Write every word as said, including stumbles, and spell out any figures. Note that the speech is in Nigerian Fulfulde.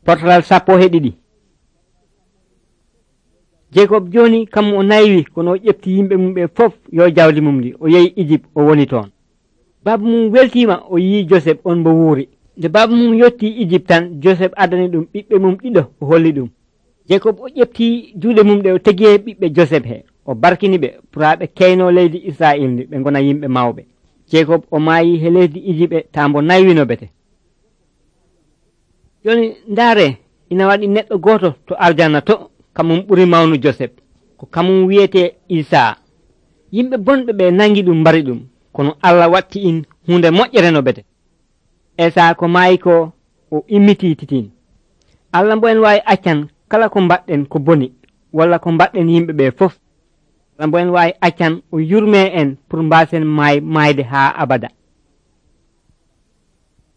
portalal sappo e ɗiɗi. Jacob joni kam o naywi kono o ƴefti yimɓe mum ɓe fof yo jawdi mum ndi o yehi Egypte o woni toon. Baba mum weltima o yi Joseph on mo wuuri. Nde baba mum yotti Egypte tan Joseph adani ɗum ɓiɓɓe mum ɗiɗo o holli ɗum. Jacob o ƴefti juuɗe mum ɗe o tegi e ɓiɓɓe Joseph he o barkini ɓe puraɓe keyno leydi Israil ndi ɓe gona yimɓe mawɓe. Jacob o maayi he leydi Egypte ta mbo naywino bete. Joni ndaare ina waɗi neɗɗo goto to arjanna to kamum ɓuri mawnu Joseph ko kamum wiyete Isa. Yimɓe bonɓe ɓe nangi ɗum mbari ɗum kono Allah watti in hunde moƴƴere no bete. Isa ko maayi ko o immiti titin. Allah mbo en wawi accan kala ko mbaɗɗen ko boni walla ko mbaɗɗen yimɓe ɓe fof. Allah mbo en wawi accan o yurme en pour mbasen maay maayde ha abada.